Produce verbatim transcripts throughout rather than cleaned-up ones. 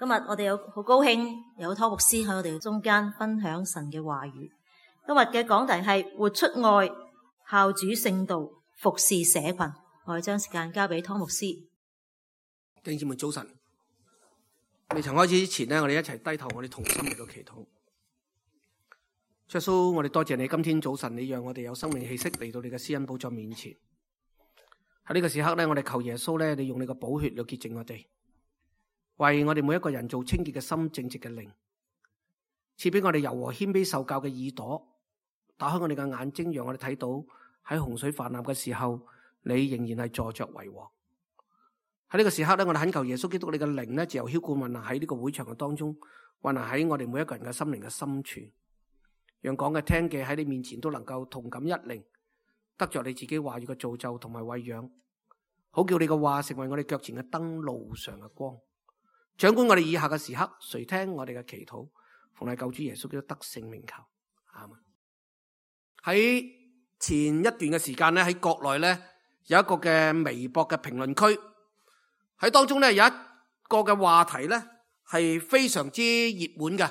今日我哋有好高興有湯牧師喺我哋中間分享神嘅話語。今日嘅講題係活出愛，效主聖道，服侍社群。我哋將時間交俾湯牧師。弟兄姊妹早晨，未曾開始之前呢，我哋一齊低頭，我哋同心嚟到祈禱。主耶穌，我哋多謝你，今天早晨你讓我哋有生命氣息嚟到你嘅施恩寶座面前。喺呢個時刻呢，我哋求耶穌呢，你用你嘅寶血嚟潔淨我哋，為我哋每一個人做清潔嘅心、正直嘅靈，賜俾我哋柔和謙卑受教嘅耳朵，打開我哋嘅眼睛，讓我哋睇到喺洪水泛濫嘅時候，你仍然係坐着為王。喺呢個時刻咧，我哋懇求耶穌基督你嘅靈咧，自由澆灌運行喺呢個會場嘅當中，運行喺我哋每一個人嘅心靈嘅深處，讓講嘅聽嘅喺你面前都能夠同感一靈，得着你自己話語嘅造就同埋餵養，好叫你嘅話成為我哋腳前嘅燈，路上嘅光。掌管我哋以下嘅時刻，垂聽我哋嘅祈禱，奉係救主耶穌基督得勝名求，阿們。喺前一段嘅時間咧，喺國內咧有一個嘅微博嘅評論區，喺當中咧有一個嘅話題咧係非常之熱門嘅，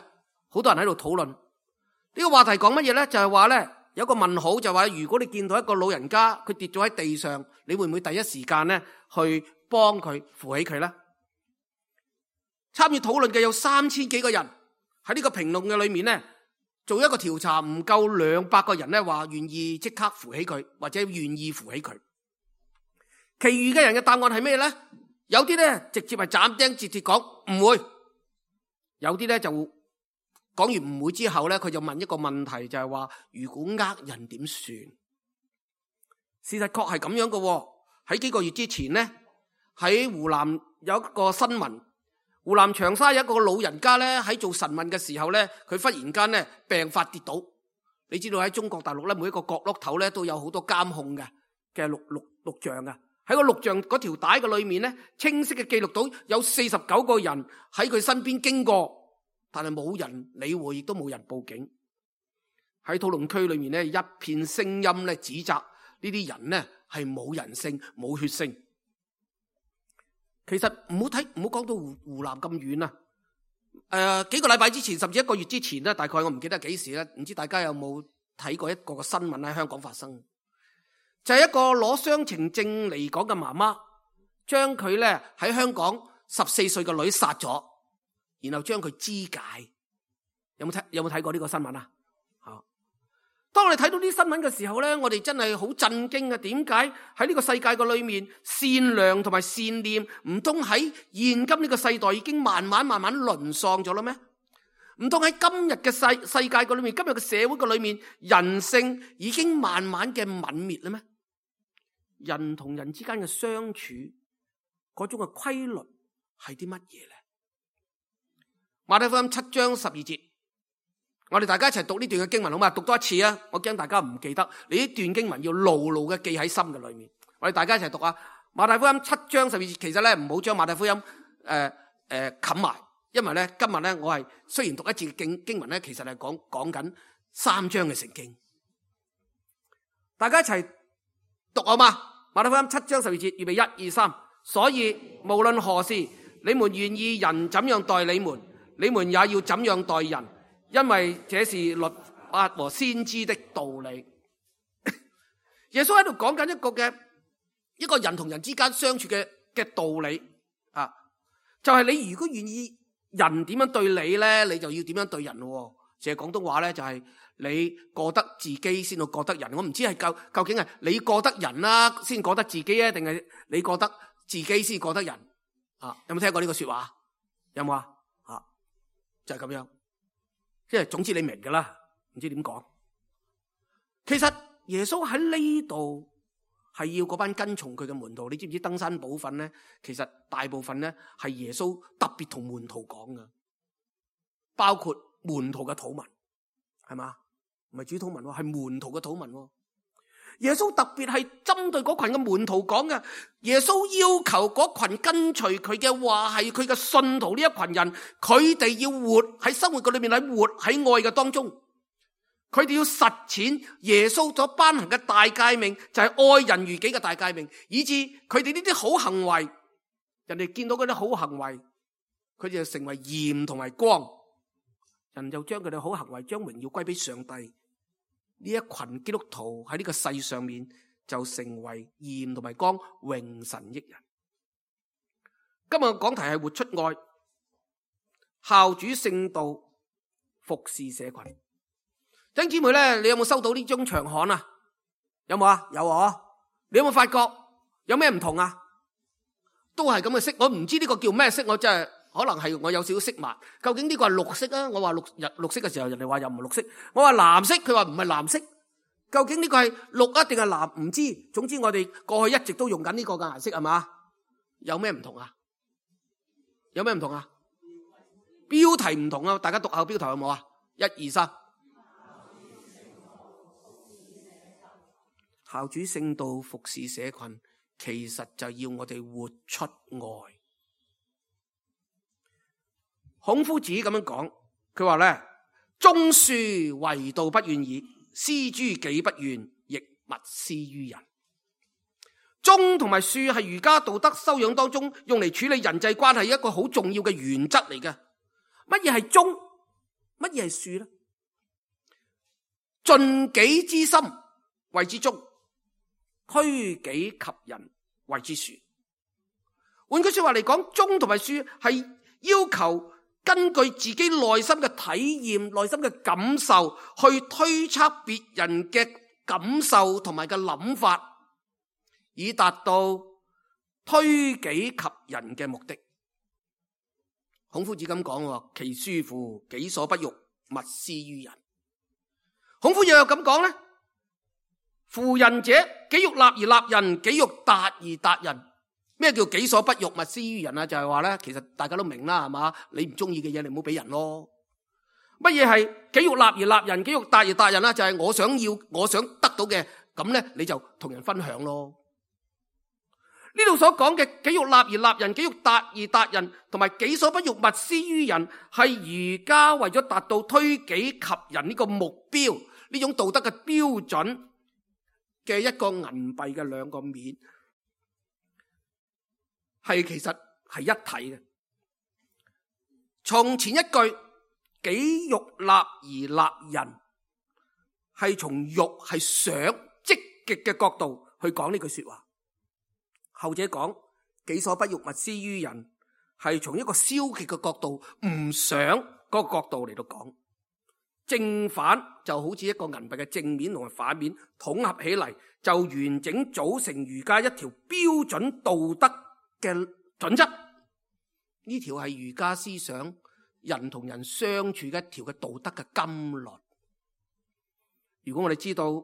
好多人喺度討論。呢個話題講乜嘢咧？就係話咧有個問號，就係話如果你見到一個老人家佢跌咗喺地上，你會唔會第一時間咧去幫佢扶起佢咧？參與討論嘅有三千幾個人，喺呢個評論嘅裏面咧，做一個調查，唔夠兩百個人咧話願意即刻扶起佢，或者願意扶起佢。其餘嘅人嘅答案係咩咧？有啲咧直接係斬釘截鐵講唔會，有啲咧就講完唔會之後咧，佢就問一個問題，就係話如果呃人點算？事實確係咁樣嘅。喺幾個月之前咧，喺湖南有一個新聞。湖南長沙有一個老人家咧，喺做晨運嘅時候咧，佢忽然間咧病發跌倒。你知道喺中國大陸咧，每一個角落頭咧都有好多監控嘅嘅錄錄錄像嘅。喺個錄像嗰條帶嘅裏面咧，清晰嘅記錄到有四十九個人喺佢身邊經過，但係冇人理會，亦都冇人報警。喺討論區裏面咧，一片聲音咧指責呢啲人咧係冇人性、冇血性。其實唔好睇，唔好講到湖湖南咁遠啊！誒、呃，幾個禮拜之前，甚至一個月之前咧，大概我唔記得幾時咧，唔知大家有冇睇過一個個新聞喺香港發生？就係、是、一個攞雙程證嚟港嘅媽媽，將佢咧喺香港十四歲嘅女殺咗，然後將佢肢解。有冇睇？有冇睇過呢個新聞啊？吓！當我哋睇到啲新聞嘅時候咧，我哋真係好震驚啊！點解喺呢個世界嘅裏面，善良同埋善念唔通喺現今呢個世代已經慢慢慢慢淪喪咗啦咩？唔通喺今日嘅世世界嘅裏面，今日嘅社會嘅裏面，人性已經慢慢嘅泯滅啦咩？人同人之間嘅相處嗰種嘅規律係啲乜嘢咧？馬太福音七章十二節。我哋大家一齊讀呢段嘅經文好嘛？讀多一次啊！我驚大家唔記得，你呢段經文要牢牢嘅記喺心嘅裏面。我哋大家一齊讀啊！馬太福音七章十二節，其實咧唔好將馬太福音誒誒冚埋，因為咧今日咧我係雖然讀一次嘅經經文咧，其實係講講緊三章嘅聖經。大家一齊讀好嘛？馬太福音七章十二節，預備一二三。所以無論何事，你們願意人怎樣待你們，你們也要怎樣待人。因為這是律法和先知的道理。耶穌喺度講緊一個嘅一個人同人之間相處嘅嘅道理啊，就係、是、你如果願意人點樣對你咧，你就要點樣對人咯。淨係廣東話咧，就係你過得自己先到過得人。我唔知係究究竟係你過得人啦，先過得自己啊，定係你過得自己先過得人啊？有冇聽過呢個說話？有冇啊？啊，就係、是、咁樣。即係總之你明噶啦，唔知點講。其實耶穌喺呢度係要嗰班跟從佢嘅門徒，你知唔知登山寶訓咧？其實大部分咧係耶穌特別同門徒講噶，包括門徒嘅禱文，係嘛？唔係主禱文，係門徒嘅禱文。耶穌特別係針對嗰群嘅門徒講嘅。耶穌要求嗰群跟隨佢嘅話係佢嘅信徒呢一群人，佢哋要活喺生活嘅裏面，喺活喺愛嘅當中，佢哋要實踐耶穌所頒行嘅大誡命，就係愛人如己嘅大誡命，以致佢哋呢啲好行為，人哋見到嗰啲好行為，佢哋就成為鹽同埋光，人就將佢哋好行為將榮耀歸俾上帝。呢一群基督徒喺呢個世上面就成為鹽同埋光，榮神益人。今日講題係活出愛，孝主聖道，服侍社群。弟兄姊妹咧，你有冇收到呢張長刊啊？有冇啊？有啊！你有冇發覺有咩唔同啊？都係咁嘅色，我唔知呢個叫咩色，我真係可能係我有少少色盲。究竟呢個係綠色啊？我話綠日綠色嘅時候，人哋話又唔係綠色。我話藍色，佢話唔係藍色。究竟呢個係綠啊定係藍？唔知。總之我哋過去一直都用緊呢個嘅顏色係嘛？有咩唔同啊？有咩唔同啊？標題唔同啊！大家讀下標題有冇啊？一二三，孝主聖道，服侍社群，其實就要我哋活出愛。孔夫子咁樣講，佢話咧：忠恕為道不願矣，施諸己不願，亦勿施於人。忠同埋恕係儒家道德修養當中用嚟處理人際關係一個好重要嘅原則嚟嘅。乜嘢係忠？乜嘢係恕咧？盡己之心謂之忠，推己及人謂之恕。換句說話嚟講，忠同埋恕係要求根據自己內心嘅體驗、內心嘅感受去推測別人嘅感受同埋嘅諗法，以達到推己及人嘅目的。孔夫子咁講，其恕乎己所不欲，勿施於人。孔夫子又咁講咧：夫仁者，己欲立而立人，己欲達而達人。咩叫己所不欲，勿施於人啊？就係話咧，其實大家都明啦，係嘛？你唔中意嘅嘢，你唔好俾人咯。乜嘢係己欲立而立人，己欲達而達人啦？就係我想要，我想得到嘅，咁咧你就同人分享咯。呢度所講嘅己欲立而立人，己欲達而達人，同埋己所不欲，勿施於人，係儒家為咗達到推己及人呢個目標，呢種道德嘅標準嘅一個銀幣嘅兩個面，係其實係一體嘅。從前一句己欲立而立人，係從欲係想積極嘅角度去講呢句說話。後者講己所不欲，勿施於人，係從一個消極嘅角度，唔想嗰個角度嚟到講。正反就好似一個銀幣嘅正面同埋反面統合起嚟，就完整組成儒家一條標準道德嘅準則。呢條係儒家思想人同人相處嘅一條嘅道德嘅金律。如果我哋知道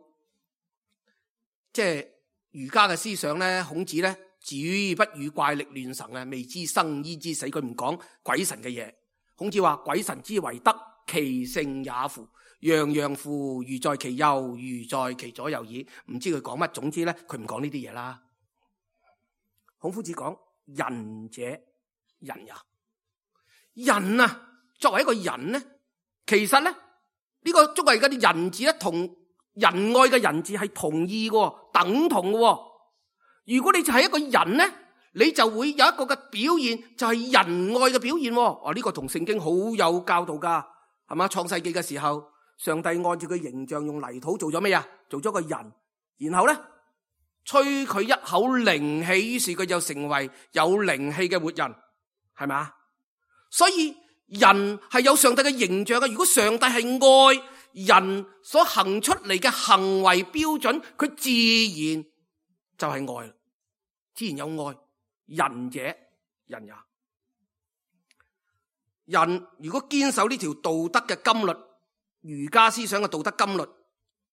即係儒家嘅思想咧，孔子咧子不語怪力亂神啊，未知生焉知死，佢唔講鬼神嘅嘢。孔子話：鬼神之為德，其性也乎？洋洋乎如在其右，如在其左右矣。唔知佢講乜，總之咧佢唔講呢啲嘢啦。孔夫子講仁者仁也。仁啊，作為一個人咧，其實咧呢、這個作為嗰啲仁字咧，同仁愛嘅仁字係同義嘅，等同嘅。如果你就係一個人咧，你就會有一個嘅表現，就係仁愛嘅表現。哦，呢個同聖經好有教導噶，係嘛？創世紀嘅時候，上帝按照佢形象用泥土做咗咩啊？做咗個人，然後咧吹佢一口靈氣，於是佢就成為有靈氣嘅活人，係咪？所以人係有上帝嘅形象嘅。如果上帝係愛，人所行出嚟嘅行為標準，佢自然就係愛，自然有愛。仁者仁也。人如果堅守呢條道德嘅金律，儒家思想嘅道德金律，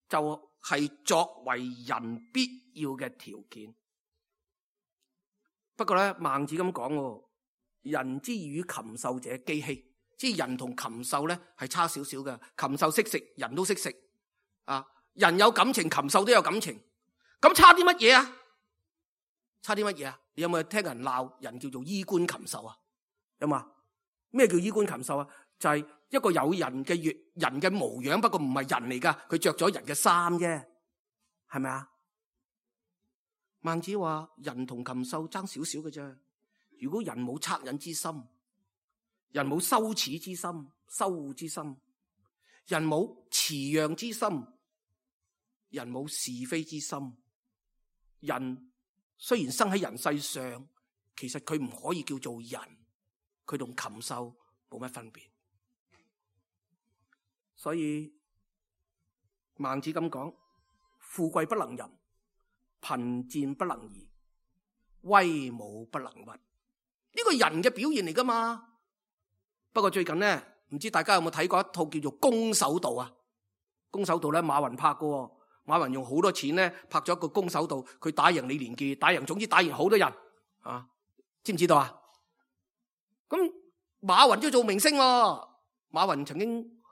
就係作為人必要嘅條件。不過咧，孟子咁講，人之與禽獸者幾希，即係人同禽獸咧係差少少嘅。禽獸識食，人都識食啊。人有感情，禽獸都有感情，咁差啲乜嘢啊？差啲乜嘢啊？你有冇聽人鬧人叫做衣冠禽獸啊？有冇？咩叫衣冠禽獸啊？就係、是、一個有人嘅人嘅模樣，不過唔係人嚟噶，佢着咗人嘅衫啫，係咪啊？孟子話人同禽獸爭少少嘅啫。如果人冇惻隱之心，人冇羞恥之心、羞惡之心，人冇辭讓之心，人冇是非之心。人雖然生喺人世上，其實佢唔可以叫做人，佢同禽獸冇乜分別。所以孟子咁講：富貴不能淫，貧賤不能移，威武不能屈。呢個人嘅表現嚟噶嘛？不過最近呢，唔知大家有冇睇過一套叫做《攻守道》啊？《攻守道》咧，馬雲拍嘅，馬雲用好多錢咧拍咗一個《攻守道》，佢打贏李連杰，打贏總之打贏好多人啊！知唔知道啊？咁馬雲都做明星喎。馬雲曾經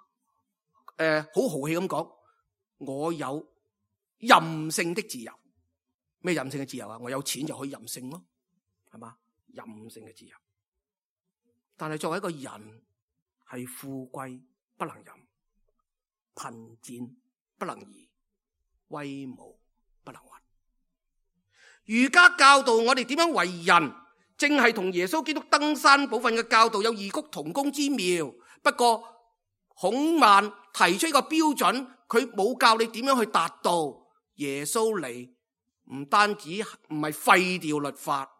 誒好豪氣咁講：我有任性的自由。咩任性嘅自由啊？我有錢就可以任性咯，係嘛？任性嘅自由。但係作為一個人，係富貴不能淫，貧賤不能移，威武不能屈。儒家教導我哋點樣為人，正係同耶穌基督登山寶訓嘅教導有異曲同工之妙。不過孔孟提出一個標準，佢冇教你點樣去達到。耶穌嚟唔單止唔係廢掉律法，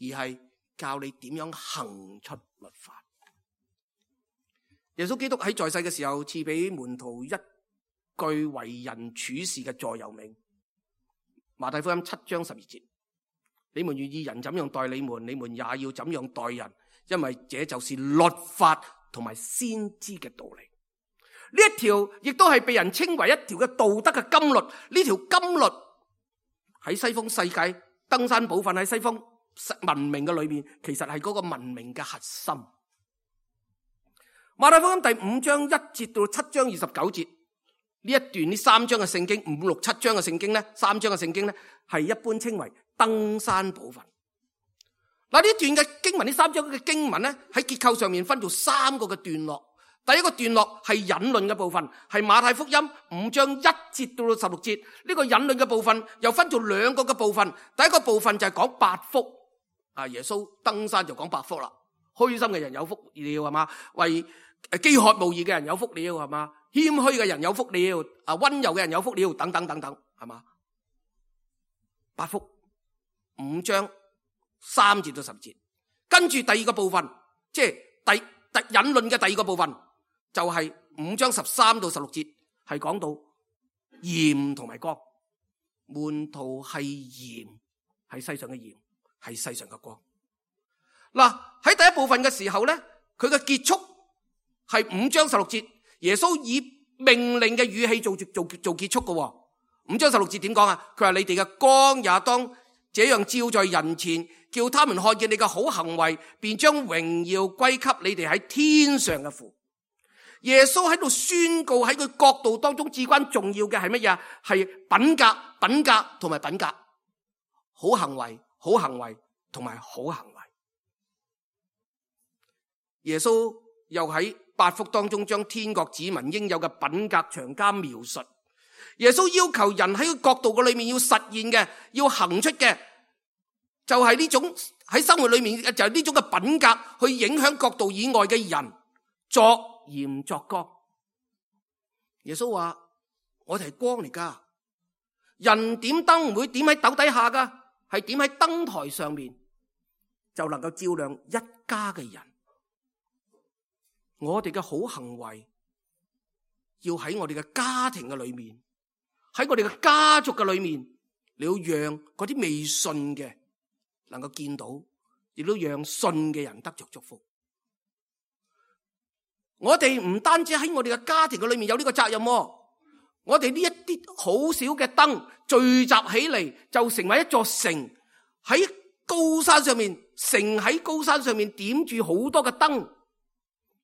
而係教你點樣行出律法。耶穌基督喺在，在世嘅時候，賜俾門徒一句為人處事嘅座右銘。馬太福音七章十二節：你們願意人怎樣待你們，你們也要怎樣待人，因為這就是律法同埋先知嘅道理。呢一條亦都係被人稱為一條嘅道德嘅金律。呢條金律喺西方世界登山寶訓，喺西方文明嘅裏面，其實係嗰個文明嘅核心。馬太福音第五章一節到七章二十九節呢一段，呢三章嘅聖經，五六七章嘅聖經咧，三章嘅聖經咧，係一般稱為登山寶訓。嗱，呢段嘅經文，呢三章嘅經文咧，喺結構上面分做三個嘅段落。第一個段落係引論嘅部分，係馬太福音五章一節到十六節。呢個引論嘅部分又分做兩個嘅部分。第一個部分就係講八福，啊，耶穌登山就講八福啦。虛心嘅人有福了，係嘛？為飢渴慕義嘅人有福了，係嘛？謙虛嘅人有福了，啊，溫柔嘅人有福了，等等等等，係嘛？八福五章三節到十節，跟住第二個部分，即係第第引論嘅第二個部分，就係五章十三到十六節，係講到鹽同埋光。門徒係鹽，係世上嘅鹽，係世上嘅光。嗱，喺第一部分嘅時候咧，佢嘅結束係五章十六節，耶穌以命令嘅語氣做做做結束嘅。五章十六節點講啊？佢話你哋嘅光也當這樣照在人前，叫他們看見你嘅好行為，便將榮耀歸給你哋喺天上嘅父。耶穌喺度宣告，喺佢角度當中至關重要嘅係乜嘢？係品格、品格同埋品格，好行為、好行為同埋好行為。耶穌又喺八福當中將天國子民應有嘅品格詳加描述。耶穌要求人喺個角度嘅裏面要實現嘅，要行出嘅，就係呢種喺生活裏面就係呢種嘅品格去影響角度以外嘅人，作鹽作光。耶穌話：我哋係光嚟噶，人點燈唔會點喺斗底下噶，係點喺燈台上面，就能夠照亮一家嘅人。我哋嘅好行為要喺我哋嘅家庭嘅裏面，喺我哋嘅家族嘅裏面，你要讓嗰啲未信嘅能夠見到，亦都讓信嘅人得着祝福。我哋唔單止喺我哋嘅家庭嘅裏面有呢個責任，我哋呢一啲好少嘅燈聚集起嚟，就成為一座城，喺高山上面，城喺高山上面點住好多嘅燈，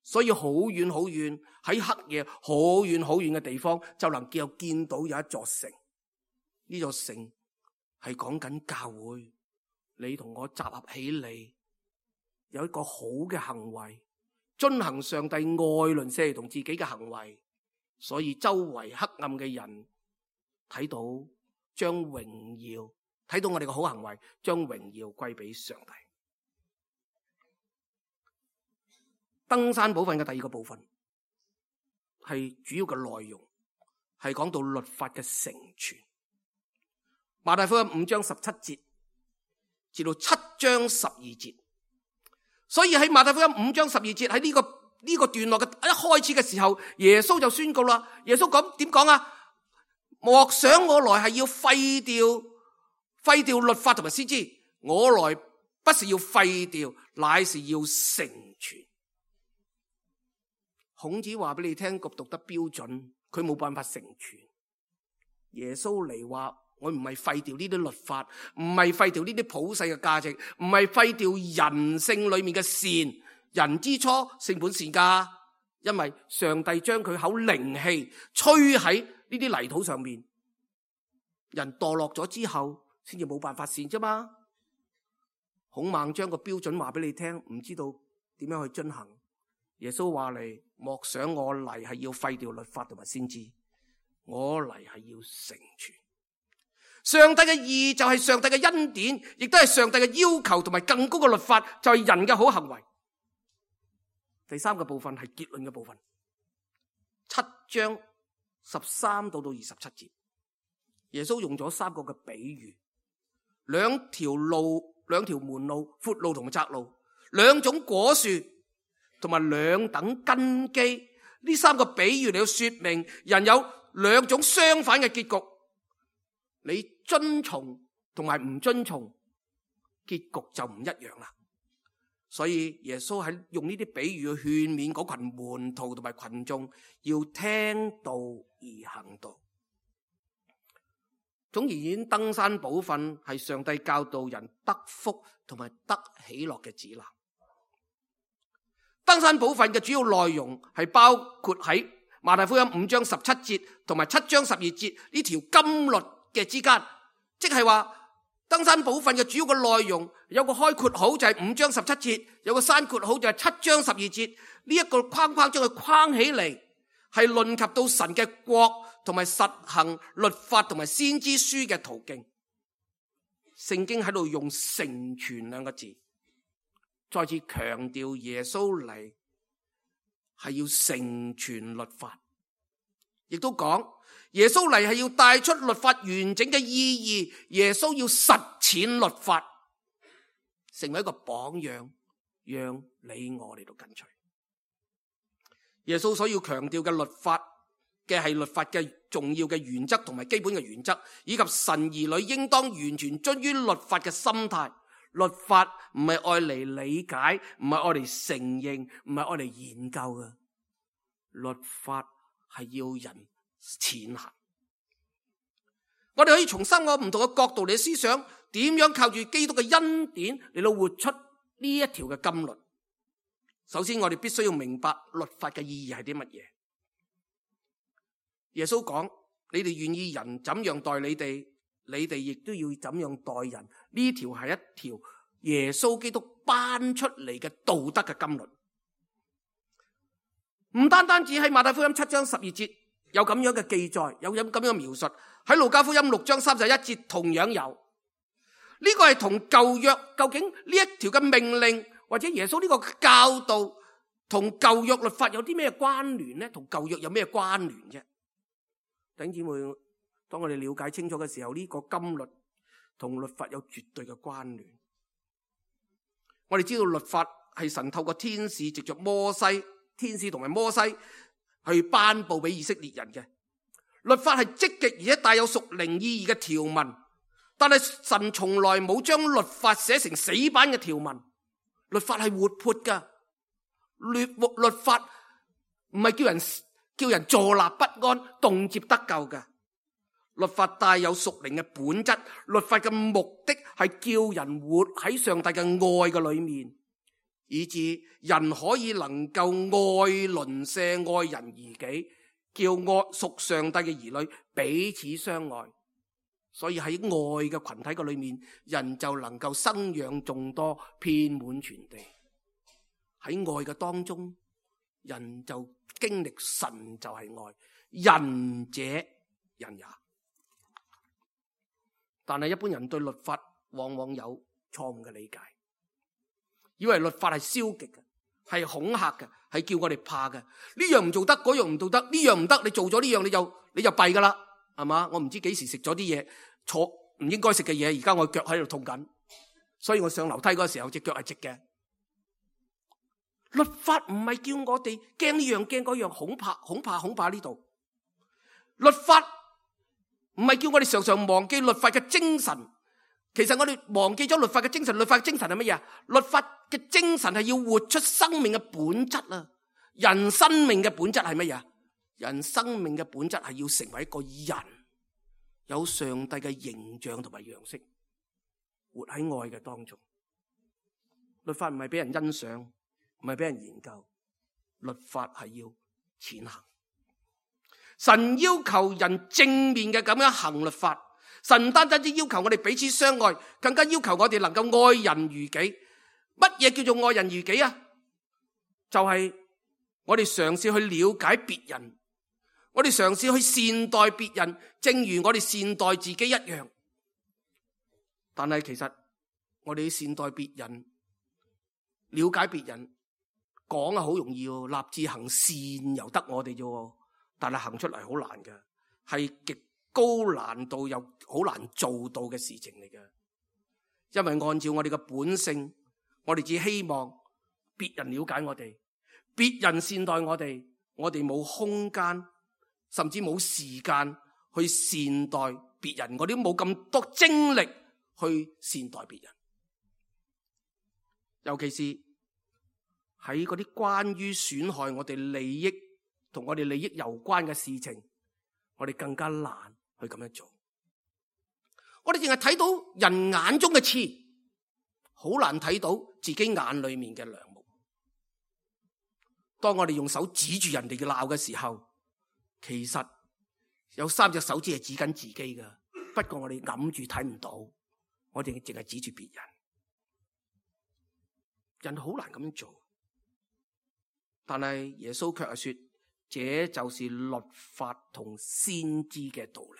所以好遠好遠，喺黑夜好遠好遠嘅地方就能夠見到有一座城。呢座城係講緊教會，你同我集合起嚟，有一個好嘅行為，遵行上帝愛鄰舍同自己嘅行為，所以周圍黑暗嘅人睇到，將榮耀睇到我哋嘅好行為，將榮耀歸俾上帝。登山寶訓嘅第二個部分係主要嘅內容，係講到律法嘅成全。馬太福音五章十七節至到七章十二節，所以喺馬太福音五章十二節喺呢個呢、這個段落嘅一開始嘅時候，耶穌就宣告啦。耶穌講點講啊？莫想我來係要廢掉廢掉律法同埋先知，我來不是要廢掉，乃是要成全。孔子話俾你聽個道德標準，佢冇辦法成全。耶穌嚟話，我唔係廢掉呢啲律法，唔係廢掉呢啲普世嘅價值，唔係廢掉人性裏面嘅善。人之初性本善噶，因為上帝將佢口靈氣吹喺呢啲泥土上面，人墮落咗之後先至冇辦法善啫嘛。孔孟將個標準話俾你聽，唔知道點樣去遵行。耶穌話嚟，莫想我嚟係要廢掉律法同埋先知，我嚟係要成全。上帝嘅義就係上帝嘅恩典，亦都係上帝嘅要求同埋更高嘅律法，就係人嘅好行為。第三個部分係結論嘅部分，七章十三到到二十七節，耶穌用咗三個嘅比喻，兩條路、兩條門路，闊路同埋窄路，兩種果樹同埋兩等根基。呢三個比喻嚟到說明人有兩種相反嘅結局，你遵從同埋唔遵從，結局就唔一樣啦。所以耶穌喺用呢啲比喻去勸勉嗰群門徒同埋群眾，要聽道而行道。總而言之，登山寶訓係上帝教導人得福同埋得喜樂嘅指南。登山寶訓嘅主要內容係包括喺馬太福音五章十七節同埋七章十二節呢條金律嘅之間，即係話登山寶訓嘅主要嘅內容有個開括號就係五章十七節，有個閂括號就係七章十二節。呢一個框框將佢框起嚟，係論及到神嘅國同埋實行律法同埋先知書嘅途徑。聖經喺度用成全兩個字，再次強調耶穌嚟係要成全律法，亦都講耶穌嚟係要帶出律法完整嘅意義，耶穌要實踐律法，成為一個榜樣，讓你我嚟到跟隨。耶穌所要強調嘅律法嘅係律法嘅重要嘅原則同埋基本嘅原則，以及神兒女應當完全遵於律法嘅心態。律法唔係愛嚟理解，唔係愛嚟承認，唔係愛嚟研究嘅。律法係要人踐行。我哋可以從三個唔同嘅角度嚟思想，點樣靠住基督嘅恩典嚟到活出呢一條嘅金律。首先，我哋必須要明白律法嘅意義係啲乜嘢。耶穌講：你哋願意人怎樣待你哋，你哋亦都要怎樣待人。呢條係一條耶穌基督頒出嚟嘅道德嘅金律。唔單單只喺馬太福音七章十二節有咁樣嘅記載，有咁樣嘅描述，喺路加福音六章三十一節同樣有。呢個係同舊約究竟呢一條嘅命令或者耶穌呢個教導同舊約律法有啲咩關聯呢？同舊約有咩關聯啫？弟兄姊妹，當我哋了解清楚嘅時候，呢個金律同律法有絕對嘅關聯。我哋知道律法係神透過天使藉着摩西，天使同埋摩西去頒布俾以色列人嘅。律法係積極而且帶有屬靈意義嘅條文，但係神從來冇將律法寫成死板嘅條文。律法係活潑噶，律律法唔係叫人叫人坐立不安、動輒得救噶。律法帶有屬靈嘅本質，律法嘅目的係叫人活喺上帝嘅愛嘅裏面，以致人可以能夠愛鄰舍、愛人如己，叫愛屬上帝嘅兒女彼此相愛。所以喺愛嘅群體嘅裏面，人就能夠生養眾多，遍滿全地。喺愛嘅當中，人就經歷神就係愛，仁者人也。但係一般人對律法往往有錯誤嘅理解，以為律法係消極嘅，係恐嚇嘅，係叫我哋怕嘅。呢樣唔做得，嗰樣唔做得，呢樣唔得，你做咗呢樣你就你就弊噶啦，係嘛？我唔知幾時食咗啲嘢，坐唔應該食嘅嘢，而家我腳喺度痛緊，所以我上樓梯嗰時候隻腳係直嘅。律法唔係叫我哋驚呢樣驚嗰樣，恐怕恐怕恐怕呢度。律法唔係叫我哋常常忘記律法嘅精神。其實我哋忘記咗律法嘅精神。律法嘅精神係乜嘢啊？律法嘅精神係要活出生命嘅本質啊！人生命嘅本質係乜嘢？人生命嘅本質係要成為一個人，有上帝嘅形象同埋樣式，活喺愛嘅當中。律法唔係俾人欣賞，唔係俾人研究，律法係要踐行。神要求人正面嘅咁樣行律法。神唔單單只要求我哋彼此相愛，更加要求我哋能夠愛人如己。乜嘢叫做愛人如己啊？就係我哋嘗試去了解別人，我哋嘗試去善待別人，正如我哋善待自己一樣。但係其實我哋善待別人、了解別人，講啊好容易喎，立志行善由得我哋啫，但係行出嚟好難嘅，係極高難度又好難做到嘅事情嚟嘅。因為按照我哋嘅本性，我哋只希望別人了解我哋，別人善待我哋，我哋冇空間，甚至冇時間去善待別人，我哋都冇咁多精力去善待別人。尤其是喺嗰啲關於損害我哋利益同我哋利益有關嘅事情，我哋更加難去咁樣做。我哋淨係睇到人眼中嘅刺，好難睇到自己眼裏面嘅梁木。當我哋用手指住人哋嘅鬧嘅時候，其實有三隻手指係指緊自己噶，不過我哋揞住睇唔到，我哋淨係指住別人。人好難咁樣做，但係耶穌卻係說，這就是律法同先知嘅道理。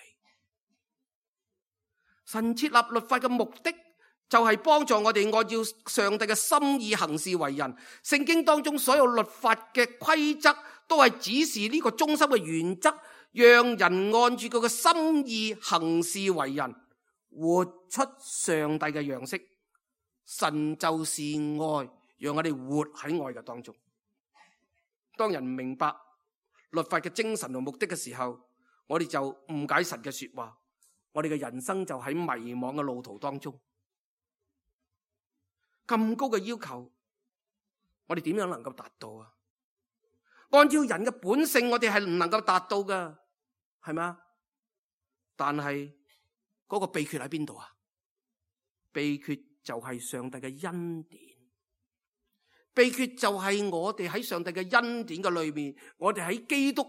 神設立律法嘅目的就係幫助我哋按照上帝嘅心意行事為人。聖經當中所有律法嘅規則都係指示呢個中心嘅原則，讓人按住佢嘅心意行事為人，活出上帝嘅樣式。神就是愛，讓我哋活喺愛嘅當中。當人唔明白律法嘅精神同目的嘅時候，我哋就誤解神嘅說話，我哋嘅人生就喺迷惘嘅路途當中。咁高嘅要求，我哋點樣能夠達到啊？按照人嘅本性，我哋係唔能夠達到噶，係咪？但係嗰個秘訣喺邊度啊？秘訣就係上帝嘅恩典。秘訣就係我哋喺上帝嘅恩典嘅裏面，我哋喺基督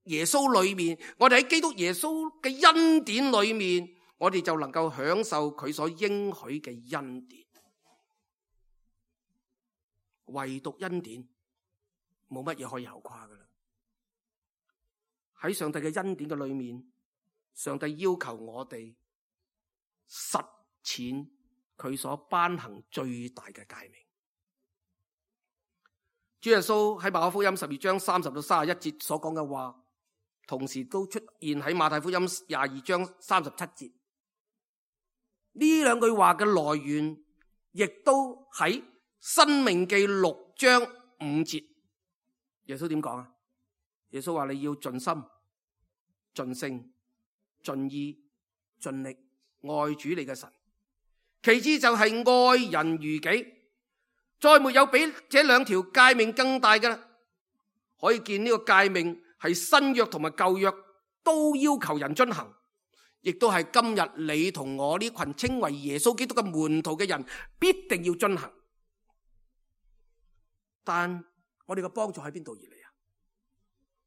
耶穌裏面，我哋喺基督耶穌嘅恩典裏面，我哋就能夠享受佢所應許嘅恩典。唯獨恩典，冇乜嘢可以後誇噶啦。喺上帝嘅恩典嘅裏面，上帝要求我哋實踐佢所頒行最大嘅誡命。主耶穌喺馬可福音十二章三十到三十一節所講嘅話，同時都出現喺馬太福音廿二章三十七節。呢兩句話嘅來源，亦都喺申命記六章五節。耶穌點講啊？耶穌話你要盡心、盡性、盡意、盡力愛主你嘅神。其次就係愛人如己。再沒有比這兩條誡命更大嘅啦。可以見呢個誡命係新約同埋舊約都要求人遵行，亦都係今日你同我呢群稱為耶穌基督嘅門徒嘅人必定要遵行。但我哋嘅幫助喺邊度而嚟啊？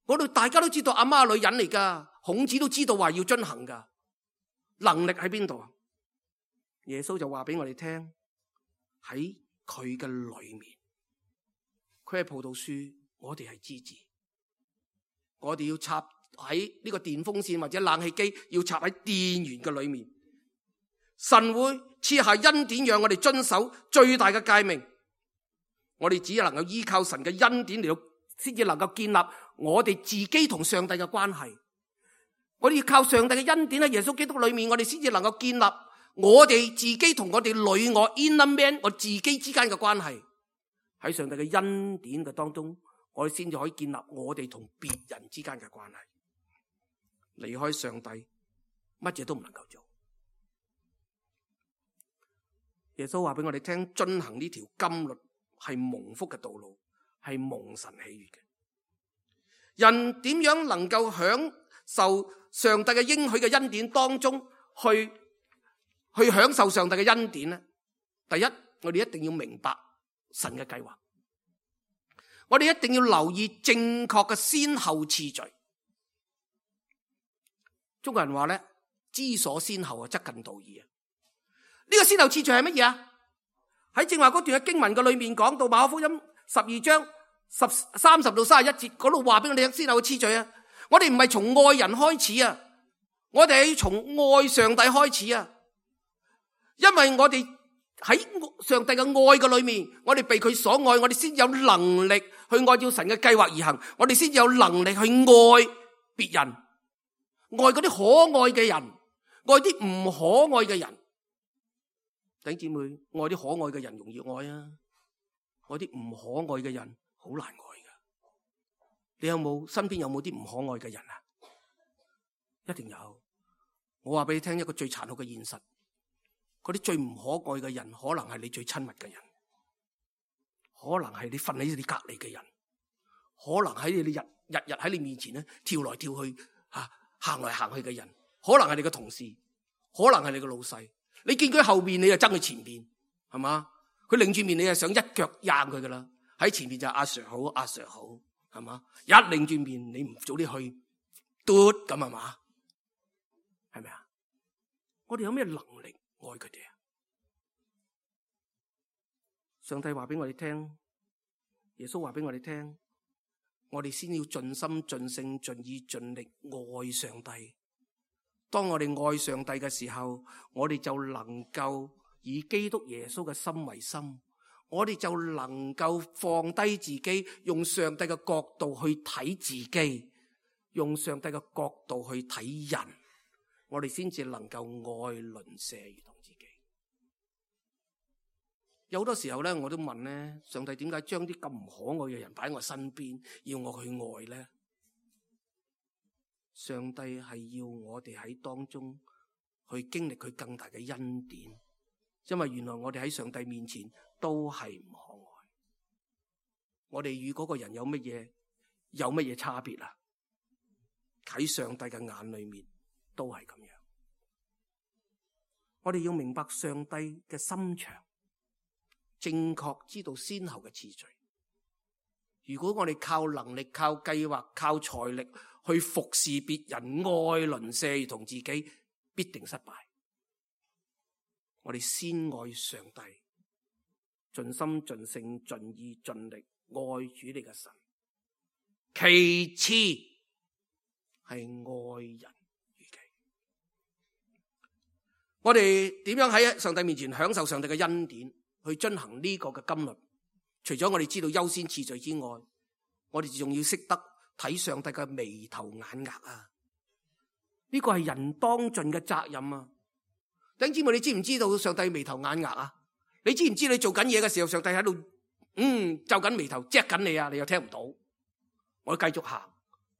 我哋大家都知道阿媽女人嚟噶，孔子都知道話要遵行噶，能力喺邊度啊？耶穌就話俾我哋聽，喺佢嘅裏面，佢係葡萄樹，我哋係枝子。我哋要插喺呢個電風扇或者冷氣機，要插喺電源嘅裏面。神會賜下恩典，讓我哋遵守最大嘅誡命。我哋只能夠依靠神嘅恩典嚟到，先至能夠建立我哋自己同上帝嘅關係。我哋要靠上帝嘅恩典喺耶穌基督裏面，我哋先至能夠建立我哋自己同我哋裏我 inner man 我自己之間嘅關係。喺上帝嘅恩典嘅當中，我哋先至可以建立我哋同別人之間嘅關係。離開上帝，乜嘢都唔能夠做。耶穌話俾我哋聽，遵行呢條金律係蒙福嘅道路，係蒙神喜悅嘅。人點樣能夠享受上帝嘅應許嘅恩典當中去去享受上帝嘅恩典呢？第一，我哋一定要明白神嘅計劃，我哋一定要留意正確嘅先後次序。中國人話咧，知所先後啊，則近道矣啊。呢個先後次序係乜嘢啊？喺正話嗰段嘅經文嘅裏面講到馬可福音十二章十三十到三十一節嗰度話俾我哋聽先後嘅次序啊。我哋唔係從愛人開始啊，我哋係從愛上帝開始啊。因為我哋喺上帝嘅愛嘅裏面，我哋被佢所愛，我哋先有能力去按照神嘅計劃而行，我哋先有能力去愛別人，愛嗰啲可愛嘅人，愛啲唔可愛嘅人。弟兄姊妹，愛啲可愛嘅人容易愛啊，愛啲唔可愛嘅人好難愛噶。你有冇身邊有冇啲唔可愛嘅人啊？一定有。我話俾你聽一個最殘酷嘅現實，嗰啲最唔可愛嘅人，可能係你最親密嘅人，可能係你瞓喺你隔籬嘅人，可能喺你日日日喺你面前咧跳來跳去吓行來行去嘅人，可能係你嘅同事，可能係你嘅老細。你見佢後邊，你就憎佢前邊，係嘛？佢擰住面，你就想一腳踹佢噶啦。喺前邊就阿 Sir 好，阿 Sir 好，係嘛？一擰住面，你唔早啲去嘟咁，係嘛？係咪啊？我哋有咩能力愛佢哋啊？上帝話俾我哋聽，耶穌話俾我哋聽，我哋先要盡心盡性盡意盡力愛上帝。當我哋愛上帝嘅時候，我哋就能夠以基督耶穌嘅心為心，我哋就能夠放低自己，用上帝嘅角度去睇自己，用上帝嘅角度去睇人，我哋先至能夠愛鄰舍如同自己。有好多時候咧，我都問咧，上帝點解將啲咁唔可愛嘅人擺喺我身邊，要我去愛咧？上帝係要我哋喺當中去經歷佢更大嘅恩典，因為原來我哋喺上帝面前都係唔可愛。我哋與嗰個人有乜嘢有乜嘢差別啊？喺上帝嘅眼裏面都係咁樣。我哋要明白上帝嘅心腸，正確知道先後嘅次序。如果我哋靠能力、靠計劃、靠財力去服侍別人、愛鄰舍同自己，必定失敗。我哋先愛上帝，盡心盡性盡意盡力愛主你嘅神，其次係愛人如己。我哋點樣喺上帝面前享受上帝嘅恩典，去遵行呢個嘅金律？除咗我哋知道優先次序之外，我哋仲要識得睇上帝嘅眉頭眼額啊！呢個係人當盡嘅責任啊！弟兄姊妹，你知唔知道上帝眉頭眼額啊？你知唔知你做緊嘢嘅時候，上帝喺度嗯皺緊眉頭，錫緊你啊！你又聽唔到，我繼續行，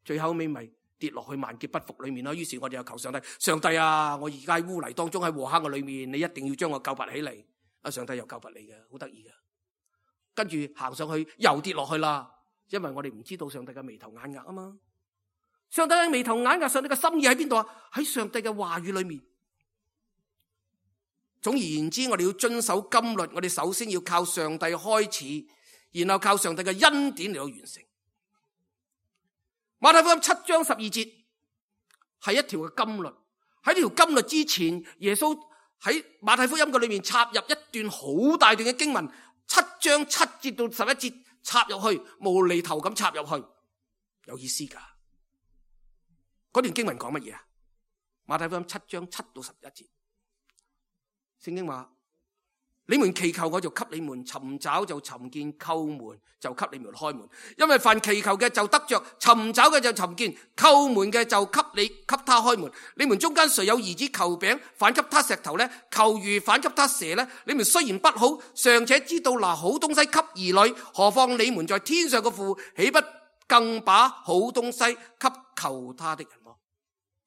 最後尾咪跌落去萬劫不復裏面咯。於是我哋又求上帝，上帝啊！我而家喺污泥當中，喺禍坑嘅裏面，你一定要將我救拔起嚟。啊！上帝又救拔你嘅，好得意嘅。跟住行上去又跌落去啦，因為我哋唔知道上帝嘅眉頭眼額啊嘛。上帝嘅眉頭眼額，上帝嘅心意喺邊度啊？喺上帝嘅話語裏面。總而言之，我哋要遵守金律，我哋首先要靠上帝開始，然後靠上帝嘅恩典嚟到完成。馬太福音七章十二節係一條嘅金律。喺呢條金律之前，耶穌喺馬太福音嘅裏面插入一段好大段嘅經文。七章七節到十一節插入去，無厘頭咁插入去，有意思噶。嗰段經文講乜嘢啊？馬太福音七章七到十一節，聖經話：你們祈求我就給你們，尋找就尋見，叩門就給你們開門。因為凡祈求嘅就得着，尋找嘅就尋見，叩門嘅就給你給他開門。你們中間誰有兒子求餅，反給他石頭呢？求魚反給他蛇呢？你們雖然不好，尚且知道拿好東西給兒女，何況你們在天上嘅父，豈不更把好東西給求他的人麼？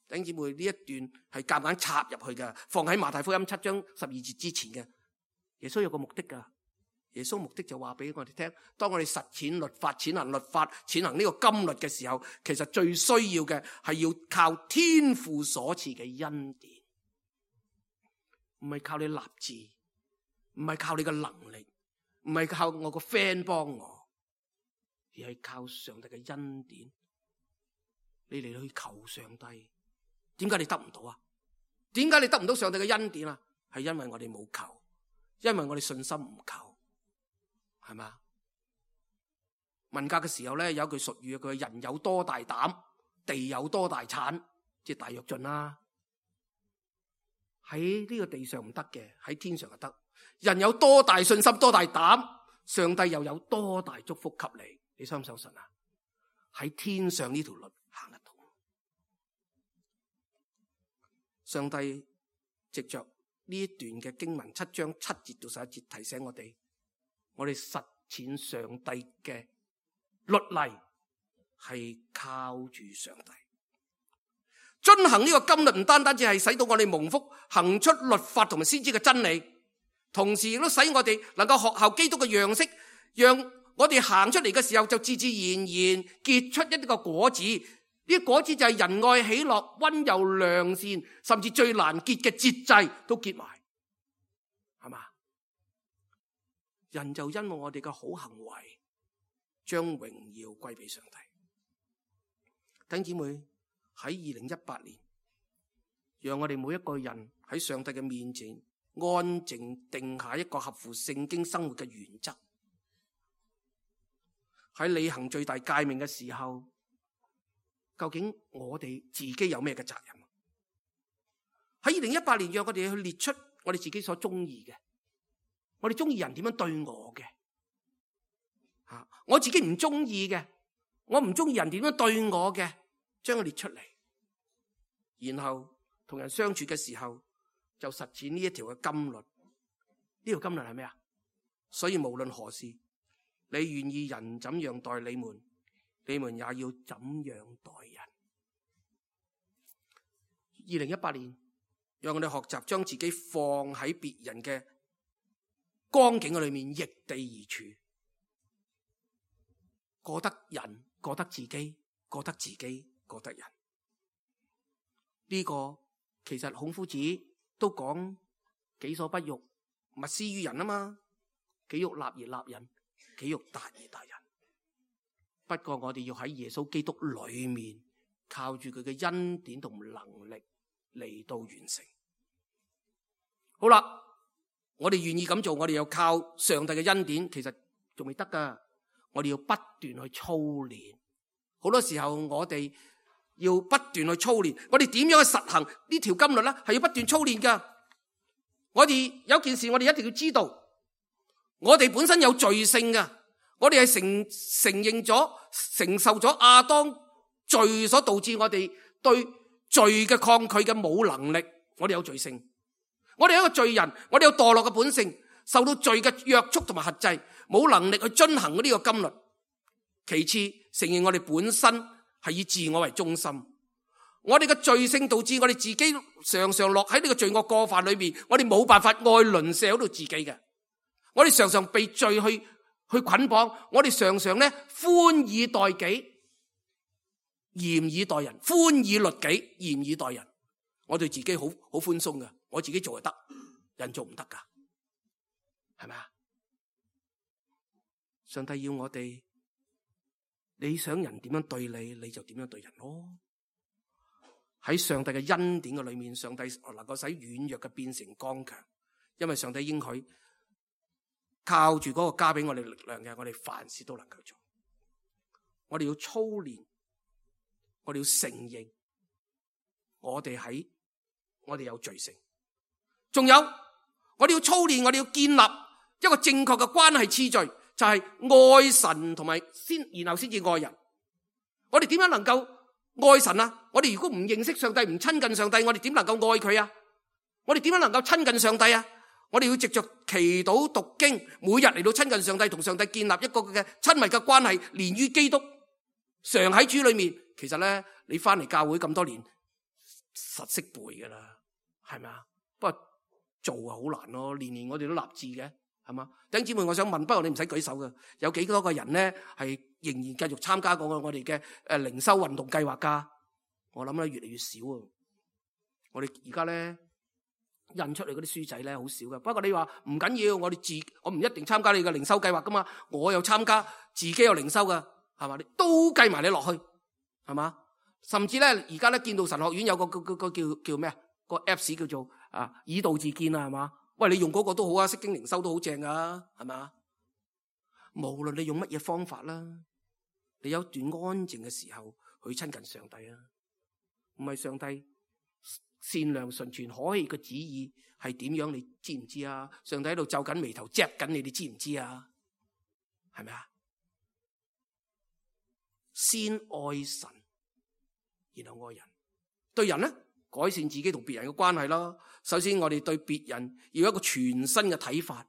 弟兄姊妹，呢一段係夾硬插入去嘅，放喺馬太福音七章十二節之前嘅。耶穌有個目的噶，耶穌目的就話俾我哋聽，當我哋實踐律法、踐行律法、踐行呢個金律嘅時候，其實最需要嘅係要靠天父所賜嘅恩典，唔係靠你立志，唔係靠你嘅能力，唔係靠我個 friend 幫我，而係靠上帝嘅恩典。你嚟去求上帝，點解你得唔到啊？點解你得唔到上帝嘅恩典啊？係因為我哋冇求。因為我哋信心唔夠，係嘛？文革嘅時候咧，有一句俗語，佢話人有多大膽，地有多大產，即係大躍進啦。喺呢個地上唔得嘅，喺天上就得。人有多大信心，多大膽，上帝又有多大祝福給你。你相唔相信啊？喺天上呢條路行得到。上帝藉着呢一段嘅經文七章七節到十一節提醒我哋，我哋實踐上帝嘅律例係靠住上帝。遵行呢個金律唔單單只係使到我哋蒙福，行出律法同埋先知嘅真理，同時亦都使我哋能夠學效基督嘅樣式，讓我哋行出嚟嘅時候就自自然然結出一啲個果子。呢啲果子就係仁愛、喜樂、溫柔、良善，甚至最難結嘅節制都結埋，係嘛？人就因為我哋嘅好行為，將榮耀歸俾上帝。弟兄姊妹，喺二零一八年，讓我哋每一個人喺上帝嘅面前安靜定下一個合乎聖經生活嘅原則。喺履行最大誡命嘅時候，究竟我哋自己有咩嘅責任？喺二零一八年，讓我哋去列出我哋自己所中意嘅，我哋中意人點樣對我嘅，吓我自己唔中意嘅，我唔中意人點樣對我嘅，將佢列出嚟，然後同人相處嘅時候就實踐呢一條嘅金律。呢條金律係咩啊？所以無論何事，你願意人怎樣待你們，你們也要怎樣待人。二零一八年，讓我哋學習將自己放喺別人嘅光景裏面，逆地而處，過得人，過得自己，過得自己，過得人。呢、這個其實孔夫子都講己所不欲，勿施於人啊嘛。己欲立而立人，己欲達而達人。不過我哋要喺耶穌基督裏面，靠住佢嘅恩典同能力嚟到完成。好啦，我哋願意咁做，我哋要靠上帝嘅恩典，其實仲未得噶。我哋要不斷去操練。好多時候我哋要不斷去操練。我哋點樣去實行呢條金律咧？係要不斷操練噶。我哋有件事，我哋一定要知道，我哋本身有罪性噶。我哋係承承認咗、承受咗亞當罪所導致我哋對罪嘅抗拒嘅冇能力。我哋有罪性，我哋係一個罪人，我哋有墮落嘅本性，受到罪嘅約束同埋轄制，冇能力去遵行呢個金律。其次，承認我哋本身係以自我為中心，我哋嘅罪性導致我哋自己常常落喺呢個罪惡過犯裏面，我哋冇辦法愛鄰舍好到自己嘅，我哋常常被罪去。去捆綁，我哋常常咧寬以待己，嚴以待人；寬以律己，嚴以待人。我對自己好好寬鬆嘅，我自己做就得，人做唔得噶，係咪啊？上帝要我哋，你想人點樣對你，你就點樣對人咯。喺上帝嘅恩典嘅裏面，上帝能夠使軟弱嘅變成剛強，因為上帝應許。靠住嗰個加俾我哋力量嘅，我哋凡事都能夠做。我哋要操練，我哋要承認，我哋喺我哋有罪性。仲有，我哋要操練，我哋要建立一個正確嘅關係次序，就係愛神同埋先，然後先至愛人。我哋點樣能夠愛神啊？我哋如果唔認識上帝，唔親近上帝，我哋點能夠愛佢啊？我哋點樣能夠親近上帝啊？我哋要藉着祈禱讀經，每日嚟到親近上帝，同上帝建立一個嘅親密嘅關係，連於基督，常喺主裏面。其實咧，你翻嚟教會咁多年，實識背噶啦，係咪啊？不過做啊好難咯，年年我哋都立志嘅，係嘛？弟兄姊妹，我想問，不過你唔使舉手嘅，有幾多個人咧係仍然繼續參加過我哋嘅誒靈修運動計劃噶？我諗咧越嚟越少啊！我哋而家咧印出嚟嗰啲書仔咧好少噶。不過你話唔緊要，我哋自我唔一定參加你嘅靈修計劃噶嘛，我有參加，自己有靈修噶，係嘛？你都計埋你落去，係嘛？甚至咧而家咧建道神學院有個個個個叫叫咩啊？個 Apps 叫做啊以道自見啊，係嘛？喂，你用嗰個都好啊，釋經靈修都好正噶，係嘛？無論你用乜嘢方法啦，你有段安靜嘅時候去親近上帝啊，唔係上帝善良純全可喜嘅旨意係點樣？你知唔知啊？上帝喺度皺緊眉頭，錫緊你，你知唔知啊？係咪啊？先愛神，然後愛人。對人咧，改善自己同別人嘅關係啦。首先，我哋對別人要有一個全新嘅睇法，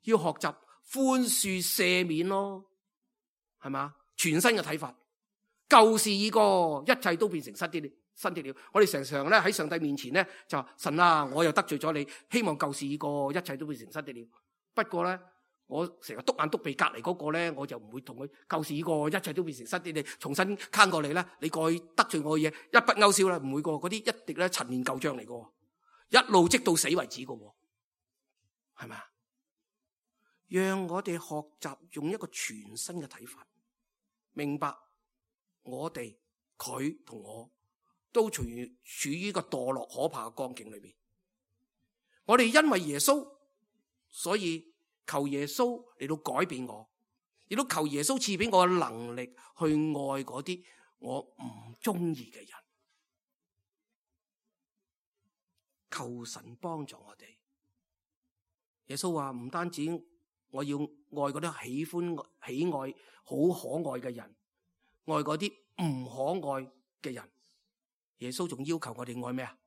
要學習寬恕赦免咯，係嘛？全新嘅睇法，舊事已過，一切都變成新的新的了。我哋常常咧喺上帝面前咧就話：神啊，我又得罪咗你，希望舊事已過，一切都變成新的了。不過咧，我成日篤眼篤鼻隔離嗰個咧，我就唔會同佢舊事已過，一切都變成新的。你重新攤過嚟咧，你過去得罪我嘅嘢一筆勾銷啦，唔會過嗰啲一滴咧陳年舊賬嚟嘅，一路積到死為止嘅，係咪啊？讓我哋學習用一個全新嘅睇法，明白我哋佢同我都處於處於一個墮落可怕嘅光景裏邊。我哋因為耶穌，所以求耶穌嚟到改變我，亦都求耶穌賜俾我嘅能力去愛嗰啲我唔中意嘅人。求神幫助我哋。耶穌話唔單止我要愛嗰啲喜歡喜愛好可愛嘅人，愛嗰啲唔可愛嘅人。耶穌仲要求我哋愛咩啊？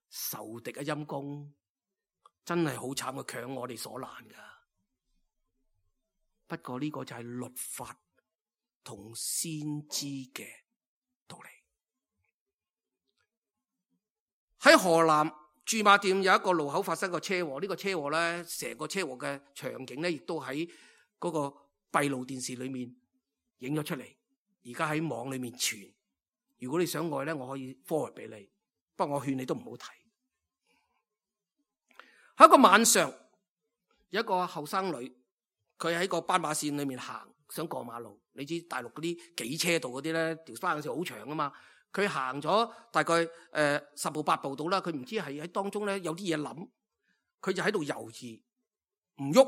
仇敵嘅陰公，真係好慘嘅，強我哋所難噶。不過呢個就係律法同先知嘅道理。喺河南駐馬店有一個路口發生個車禍，呢、這個車禍咧，成個車禍嘅場景咧，亦都喺嗰個閉路電視裏面影咗出嚟，而家喺網裏面傳。如果你想愛咧，我可以 forward 俾你，不過我勸你都唔好睇。喺一個晚上，有一個後生女，佢喺個斑馬線裏面行，想過馬路。你知大陸嗰啲幾車道嗰啲咧，條斑馬線好長啊嘛。佢行咗大概誒、呃、十步八步到啦，佢唔知係喺當中咧有啲嘢諗，佢就喺度猶豫唔喐。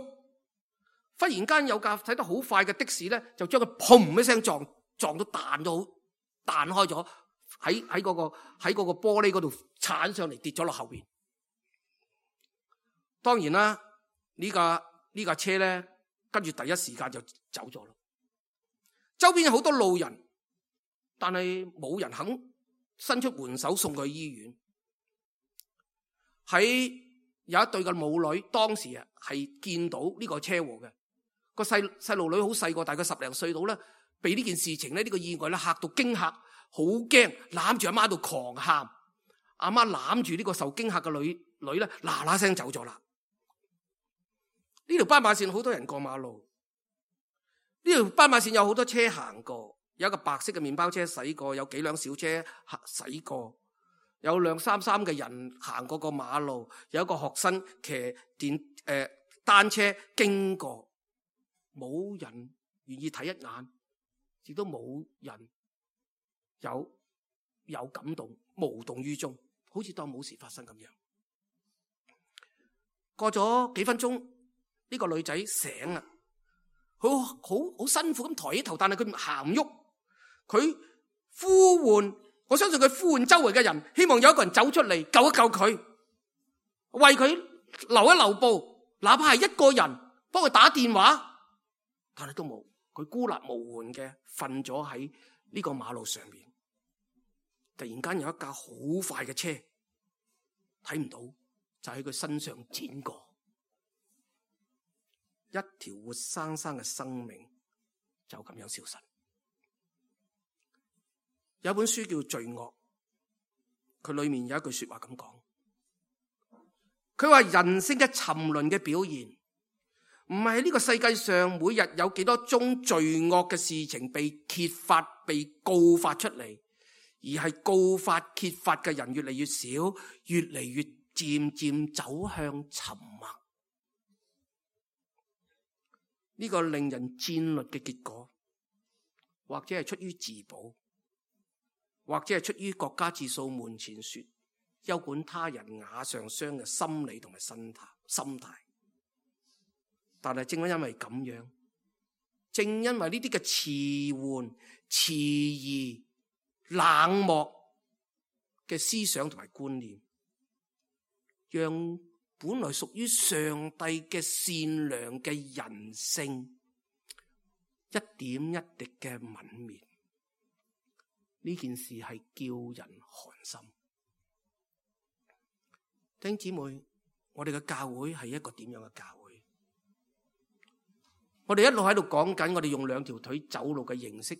忽然間有架駛得好快嘅的，的士咧，就將佢砰一聲撞撞到彈到彈開咗，喺喺嗰個喺嗰個玻璃嗰度鏟上嚟，跌咗落後邊。當然啦，呢架呢架車咧，跟住第一時間就走咗啦。周邊有好多路人，但係冇人肯伸出援手送佢去醫院。喺有一對嘅母女，當時啊係見到呢個車禍嘅，個細細路女好細個，大概十零歲到啦，被呢件事情咧呢個意外咧嚇到驚嚇，好驚，攬住阿媽度狂喊。阿媽攬住呢個受驚嚇嘅女女咧，嗱嗱聲走咗啦。呢條斑馬線好多人過馬路，呢條斑馬線有好多車行過，有一個白色嘅麵包車駛過，有幾輛小車駛過，有兩三三嘅人行過個馬路，有一個學生騎電誒、呃、單車經過，冇人願意睇一眼，亦都冇人有有感動，無動於衷，好似當冇事發生咁樣。過咗幾分鐘，呢個女仔醒啦，佢好好辛苦咁抬起頭，但係佢行唔喐。佢呼喚，我相信佢呼喚周圍嘅人，希望有一個人走出嚟救一救佢，為佢留一留步，哪怕係一個人幫佢打電話，但係都冇，佢孤立無援嘅瞓咗喺呢個馬路上面。突然間有一架好快嘅車，睇唔到，就喺佢身上剪過，一條活生生嘅生命就咁樣消失。有本書叫《罪惡》，佢裏面有一句說話咁講，佢話人性嘅沉淪嘅表現，唔係呢個世界上每日有幾多宗罪惡嘅事情被揭發、被告發出嚟，而係告發、揭發嘅人越嚟越少，越嚟越漸漸走向沉默。呢個令人戰慄嘅結果，或者係出於自保，或者係出於國家自掃門前雪，休管他人瓦上霜嘅心理同埋心態心態。但係正因為咁樣，正因為呢啲嘅遲緩、遲疑、冷漠嘅思想同埋觀念，讓本來屬於上帝嘅善良嘅人性一點一滴嘅泯滅。呢件事係叫人寒心。弟兄姊妹，我哋嘅教會係一個點樣嘅教會？我哋一路喺度講緊，我哋用兩條腿走路嘅形式，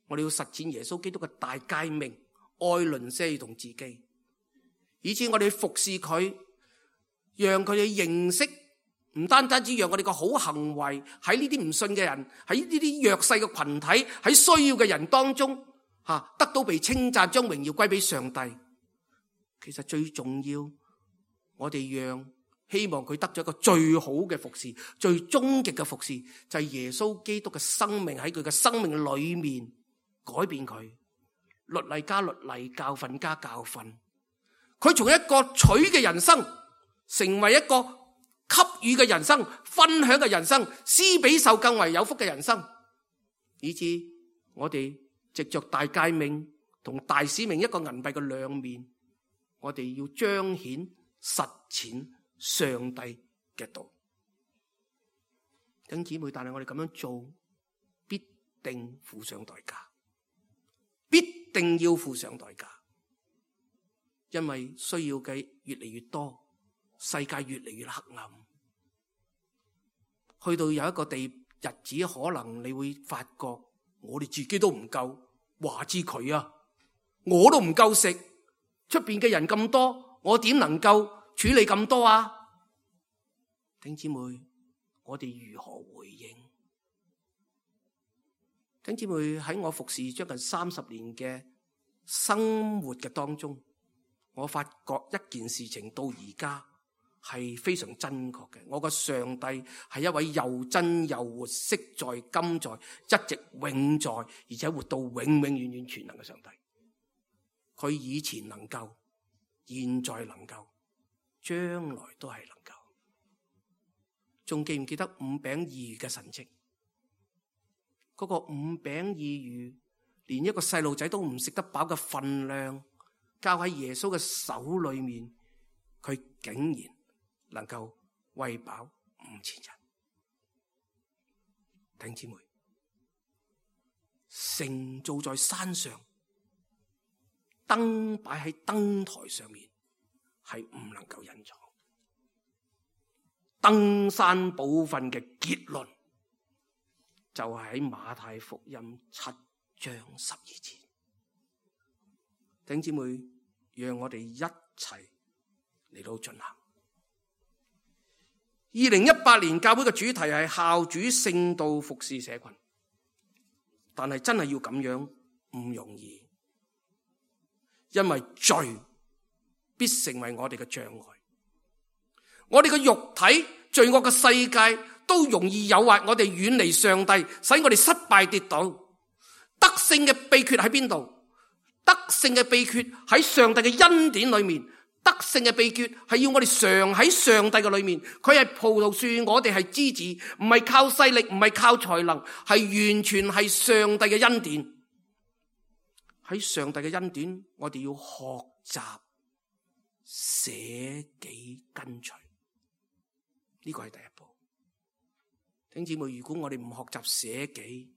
我哋要實踐耶穌基督嘅大誡命，愛鄰舍同自己，以至我哋服侍佢，讓佢哋認識，唔單單只讓我哋個好行為喺呢啲唔信嘅人，喺呢啲弱勢嘅群體，喺需要嘅人當中吓得到被稱讚，將榮耀歸俾上帝。其實最重要，我哋讓希望佢得咗一個最好嘅服侍，最終極嘅服侍，就係耶穌基督嘅生命喺佢嘅生命裏面改變佢，律例加律例，教訓加教訓。佢從一個取嘅人生，成為一個給予嘅人生，分享嘅人生，施比受更為有福嘅人生，以致我哋藉着大誡命同大使命一個銀幣嘅兩面，我哋要彰顯實踐上帝嘅道。弟兄姊妹，但係我哋咁樣做，必定付上代價，必定要付上代價，因為需要嘅越嚟越多，世界越嚟越黑暗，去到有一個地日子，可能你會發覺我哋自己都唔夠，話知佢啊，我都唔夠食，出邊嘅人咁多，我點能夠處理咁多啊？弟兄姊妹，我哋如何回應？弟兄姊妹，喺我服侍將近三十年嘅生活嘅當中，我發覺一件事情到而家係非常真確嘅。我個上帝係一位又真又活，昔在今在，一直永在，而且活到永永遠遠全能嘅上帝。佢以前能夠，現在能夠，將來都係能夠。仲記唔記得五餅二魚嘅神蹟？嗰個五餅二魚，連一個細路仔都唔食得飽嘅分量，交喺耶穌嘅手裏面，佢竟然能夠餵飽五千人。弟兄姊妹，城造在山上，燈擺喺燈台上面，係唔能夠隱藏。登山寶訓嘅結論就係喺馬太福音七章十二節。弟兄姊妹，讓我哋一齊嚟到進行。二零一八年教會嘅主題係孝主聖道服侍社群，但係真係要咁樣唔容易，因為罪必成為我哋嘅障礙。我哋嘅肉體罪惡嘅世界都容易誘惑我哋遠離上帝，使我哋失敗跌倒。得勝嘅秘訣喺邊度？得勝嘅秘訣喺上帝嘅恩典裏面。得勝嘅秘訣係要我哋常喺上帝嘅裏面。佢係葡萄樹，我哋係枝子，唔係靠勢力，唔係靠才能，係完全係上帝嘅恩典。喺上帝嘅恩典，我哋要學習捨己跟隨。呢個係第一步。弟兄姊妹，如果我哋唔學習捨己，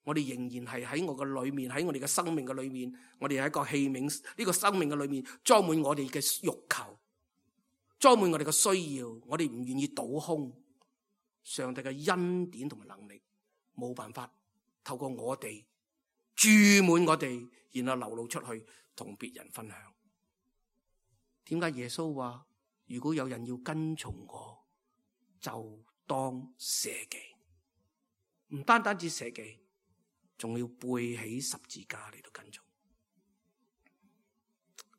我哋仍然係喺我嘅裏面，喺我哋嘅生命嘅裏面，我哋係一個器皿，呢個生命嘅裏面裝滿我哋嘅欲求，裝滿我哋嘅需要，我哋唔願意倒空上帝嘅恩典同埋能力，冇辦法透過我哋注滿我哋，然後流露出去同別人分享。點解耶穌話如果有人要跟從我，就當捨己？唔單單止捨己，仲要背起十字架嚟到跟從。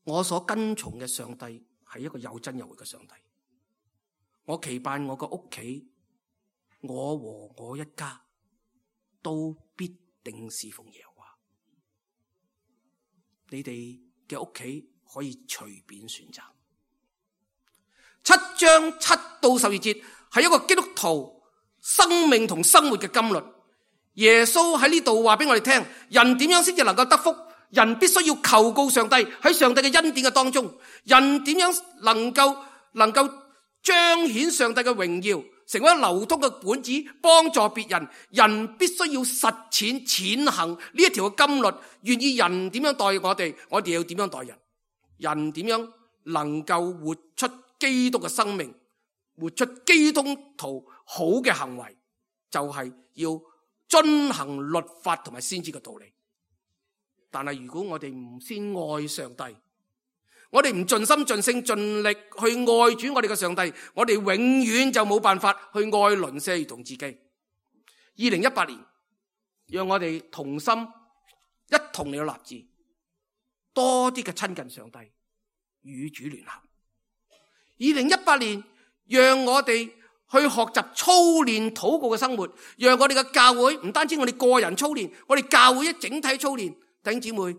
我所跟從嘅上帝係一個有真有活嘅上帝。我期盼我個屋企，我和我一家都必定侍奉耶和華。你哋嘅屋企可以隨便選擇。七章七到十二節係一個基督徒生命同生活嘅金律。耶穌喺呢度話俾我哋聽，人點樣先至能夠得福？人必須要求告上帝，喺上帝嘅恩典嘅當中，人點樣能夠能夠彰顯上帝嘅榮耀，成為流通嘅本子，幫助別人。人必須要實踐踐行呢一條嘅金律，願意人點樣待我哋，我哋要點樣待人。人點樣能夠活出基督嘅生命，活出基督徒好嘅行為，就係要遵行律法同埋先知嘅道理。但係如果我哋唔先愛上帝，我哋唔盡心盡性盡力去愛主我哋嘅上帝，我哋永遠就冇辦法去愛鄰舍如同自己。二零一八年，讓我哋同心一同嚟到立志，多啲嘅親近上帝，與主聯合。二零一八年，讓我哋去學習操練禱告嘅生活，讓我哋嘅教會唔單止我哋個人操練，我哋教會一整體操練。弟兄姊妹，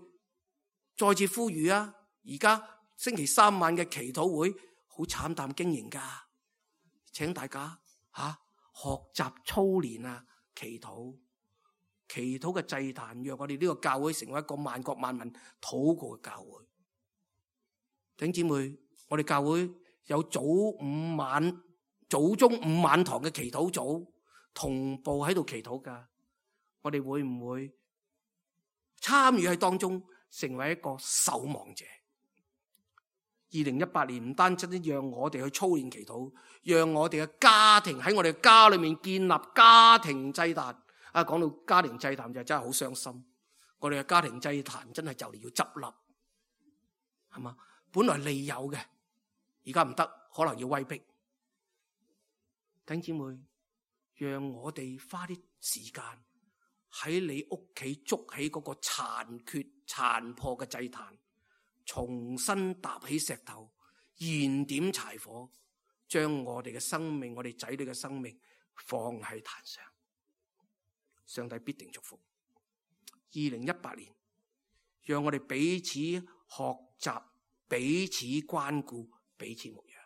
再次呼籲啊！而家星期三晚嘅祈禱會好慘淡經營噶，請大家吓、啊、學習操練啊！祈禱，祈禱嘅祭壇，讓我哋呢個教會成為一個萬國萬民禱告嘅教會。弟兄姊妹，我哋教會有早午晚、早中午晚堂嘅祈禱組同步喺度祈禱噶，我哋會唔會參與喺當中，成為一個守望者？二零一八年唔單止讓我哋去操練祈禱，讓我哋嘅家庭喺我哋嘅家裏面建立家庭祭壇。啊，講到家庭祭壇就真係好傷心，我哋嘅家庭祭壇真係就嚟要執笠，係嘛？本來利有嘅，而家唔得，可能要威逼。弟兄姊妹，讓我哋花啲時間喺你屋企築起嗰個殘缺殘破嘅祭壇，重新搭起石頭，燃點柴火，將我哋嘅生命，我哋仔女嘅生命放喺壇上，上帝必定祝福。二零一八年，讓我哋彼此學習，彼此關顧，彼此牧養。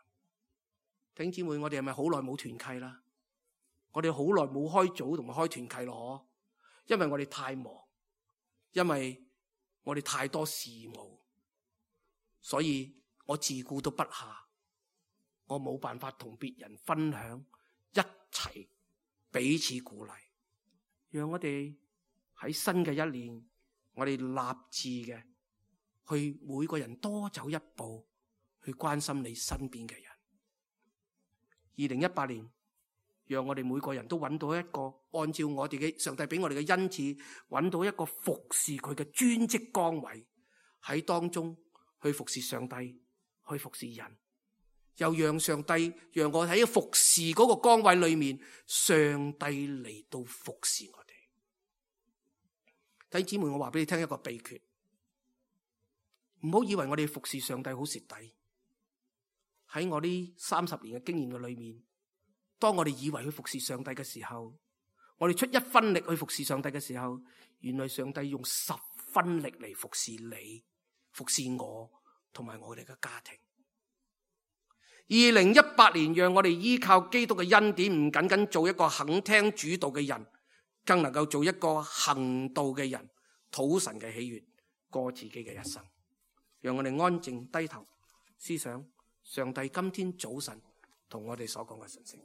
弟兄姊妹，我哋係咪好耐冇團契啦？我哋好耐冇開組同埋開團契咯，因為我哋太忙，因為我哋太多事務，所以我自顧都不暇，我冇辦法同別人分享，一齊彼此鼓勵，讓我哋喺新嘅一年，我哋立志嘅去每個人多走一步，去關心你身邊嘅人。二零一八年，讓我哋每個人都揾到一個按照我哋嘅上帝俾我哋嘅恩賜，揾到一個服侍佢嘅專職崗位，喺當中去服侍上帝，去服侍人，又讓上帝讓我喺服侍嗰個崗位裏面，上帝嚟到服侍我哋。弟兄姊妹，我話俾你聽一個秘訣，唔好以為我哋服侍上帝好蝕底。喺我呢三十年嘅經驗嘅裏面，當我哋以為去服侍上帝嘅時候，我哋出一分力去服侍上帝嘅時候，原來上帝用十分力嚟服侍你、服侍我同埋我哋嘅家庭。二零一八年，讓我哋依靠基督嘅恩典，唔僅僅做一個肯聽主道嘅人，更能夠做一個行道嘅人，討神嘅喜悅，過自己嘅一生。讓我哋安靜低頭思想上帝今天早晨同我哋所講嘅信息。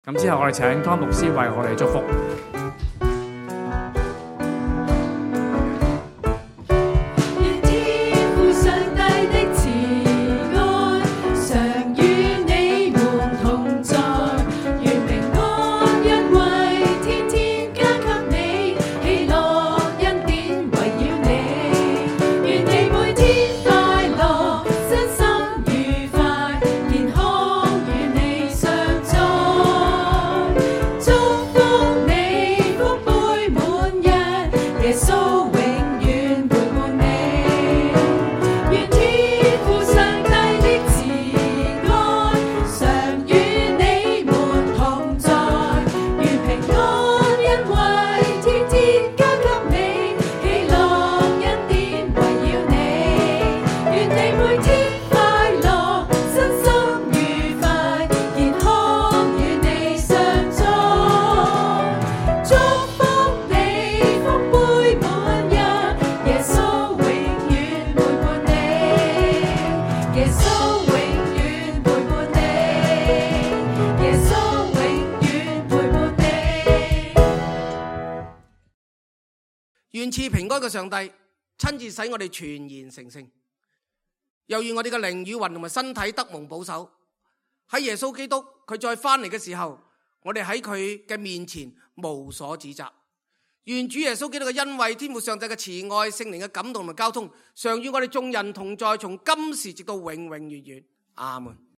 咁之後我哋請湯牧師為我哋祝福。願賜平安嘅上帝親自使我哋全然成聖，又願我哋嘅靈與魂同埋身體得蒙保守。喺耶穌基督佢再翻嚟嘅時候，我哋喺佢嘅面前無所指責。願主耶穌基督嘅恩惠、天父上帝嘅慈愛、聖靈嘅感動同埋交通，常與我哋眾人同在，從今時直到永永遠遠。阿門。